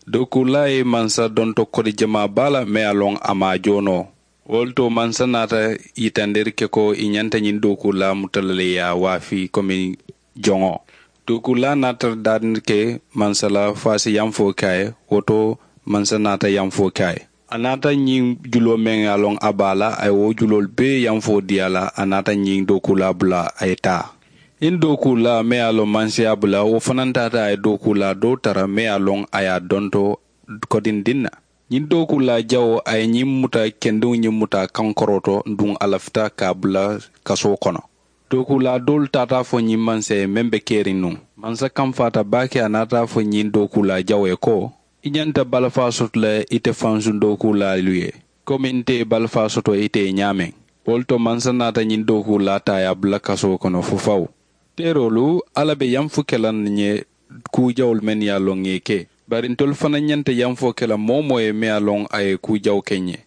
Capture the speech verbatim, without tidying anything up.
Dookuulaa ye mansa donto kodi jamaa baa la meŋ ye a loŋ a maŋ a joo noo. Wo le to mansa naata yitandiri ke ko i ñanta ñiŋ dookuulaa muta la le ye a waafi komi joŋo. Dookuulaa naata daadindi ke mansa la fo a si yamfoo ke a ye. Wo to mansa naata yamfoo ke a ye. A naata ñiŋ juloo meŋ ye a loŋ a be a la a ye wo juloolu bee yamfoo dii a la. A naata ñiŋ dookuulaa bula a ye taa. Ñiŋ dookuulaa meŋ ye a loŋ mansa ye a bula wo fanaa taata a ye dookuulaa doo tara meŋ ye a loŋ a ye a donto kodindiŋ na. Ñiŋ dookuulaa jawoo a ye ñiŋ muta kendiŋo ñiŋ muta a kaŋ korooto duŋ a lafita ka a bula kasoo kono. Dookuulaa doolu taata a fo ñiŋ mansa ye meŋ be keriŋ nuŋ. Mansa kamfaata baake a naata a fo ñiŋ dookuulaa jawoo ye ko, i ñanta balafaa soto le ite fansuŋ dookuulaalu ye komi nte ye balafaa soto ite ye ñaameŋ. Wo le to mansa naata ñiŋ dookuulaa taa ye a bula kasoo kono fo fawu. Teeroolu alla be yamfu ke la n ye kuu jawolu mennu ye a loŋ ŋa i ke. Bari ntolu fanaa ñanta yamfoo ke la moo-wo-moo ye meŋ ye a loŋ a ye kuu jawu ke n ye.